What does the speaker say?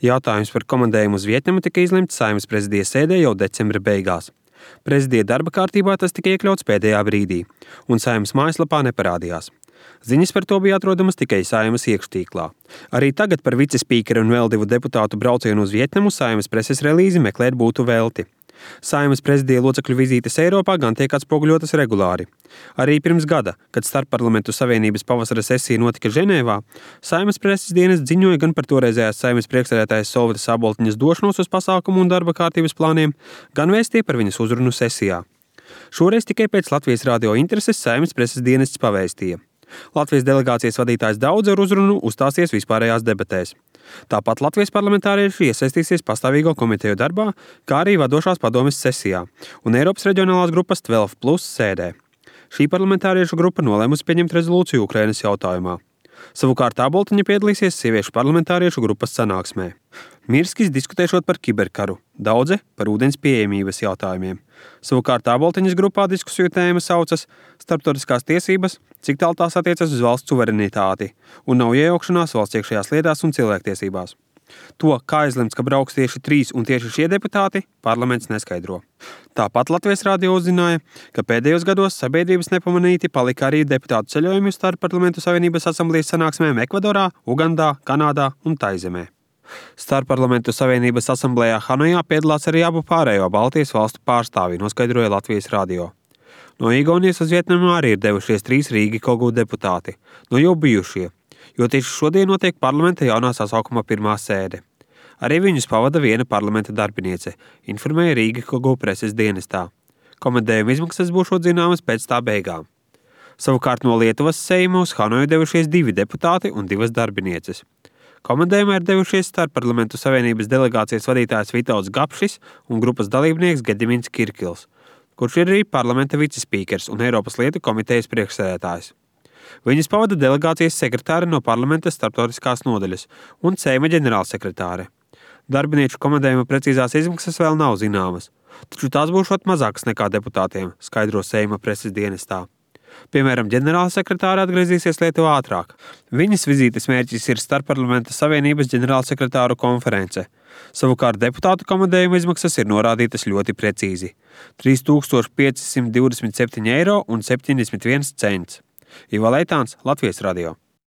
Jautājums par komandējumu uz Vjetnamu tika izlemts Saeimas prezidija sēdē jau decembra beigās. Prezidija darba kārtībā tas tika iekļauts pēdējā brīdī, un Saeimas mājaslapā neparādījās. Ziņas par to bija atrodamas tikai Saeimas iekštīklā. Arī tagad par vicespīkeru un vēl 2 deputātu braucienu uz Vjetnamu Saeimas preses relīzi meklēt būtu velti. Saeimas prezidija locekļu vizītes Eiropā gan tiek atspoguļotas regulāri. Arī pirms gada, kad Starpparlamentu savienības pavasara sesija notika Ženēvā, Saeimas preses dienests ziņoja gan par toreizējās Saeimas priekšsēdētājas Solvitas Aboltiņas došanos uz pasākumu un darba kārtības plāniem, gan vēstīja par viņas uzrunu sesijā. Šoreiz tikai pēc Latvijas radio intereses Saeimas preses dienests pavēstīja. Latvijas delegācijas vadītājs Daudze ar uzrunu uzstāsies vispārējās debatēs. Tāpat Latvijas parlamentārieši iesaistīsies pastāvīgo komiteju darbā, kā arī vadošās padomes sesijā un Eiropas reģionālās grupas 12+ sēdē. Šī parlamentāriešu grupa nolēmusi pieņemt rezolūciju Ukrainas jautājumā. Savukārt Aboltiņa piedalīsies sieviešu parlamentāriešu grupas sanāksmē. Mirskis diskutēšot par kiberkaru, Daudze par ūdens pieejamības jautājumiem. Savukārt Aboltiņas grupā diskusiju tēma saucas starptautiskās tiesības, cik tālu tās attiecas uz valsts suverenitāti un nav iejaukšanās valsts iekšējās lietās un cilvēktiesībās. To, kā izlemts, ka brauks tieši 3 un tieši šie deputāti, parlaments neskaidro. Tāpat Latvijas radio uzzināja, ka pēdējos gados sabiedrības nepamanīti palika arī deputātu ceļojumi uz Starpparlamentu savienības asamblējas sanāksmēm Ekvadorā, Ugandā, Kanādā un Taizemē. Starpparlamentu savienības asamblējā Hanojā piedalās arī abu pārējo Baltijas valstu pārstāvji, noskaidroja Latvijas radio. No Igaunijas uz Vjetnamu arī ir devušies 3 Rīgi Kogu deputāti, no jau bijušie, jo tieši šodien notiek parlamenta jaunā sasaukuma pirmā sēde. Arī viņus pavada viena parlamenta darbiniece, informēja Rīgi Kogu preses dienestā. Komandējuma izmaksas būšot zināmas pēc tā beigām. Savukārt no Lietuvas Seima uz Hanoju devušies 2 deputāti un 2 darbinieces. Komandējumā ir devušies Starpparlamentu savienības delegācijas vadītājs Vitauds Gapšis un grupas dalībnieks Gedimins Kirkils, kurš ir arī parlamenta vicespīkers un Eiropas lietu komitejas priekšsēdētājs. Viņus pavada delegācijas sekretāre no parlamenta starptautiskās nodaļas un Seima ģenerālsekretāre. Darbinieču komandējuma precīzās izmaksas vēl nav zināmas, taču tās būšot mazākas nekā deputātiem, skaidro Seima preses dienestā. Piemēram, ģenerālsekretāre atgriezīsies Lietuvā ātrāk. Viņas vizītes mērķis ir Starpparlamenta savienības ģenerālsekretāru konference. Savukārt deputātu komandējuma izmaksas ir norādītas ļoti precīzi – 3527,71 eiro. Ivo Leitāns, Latvijas radio.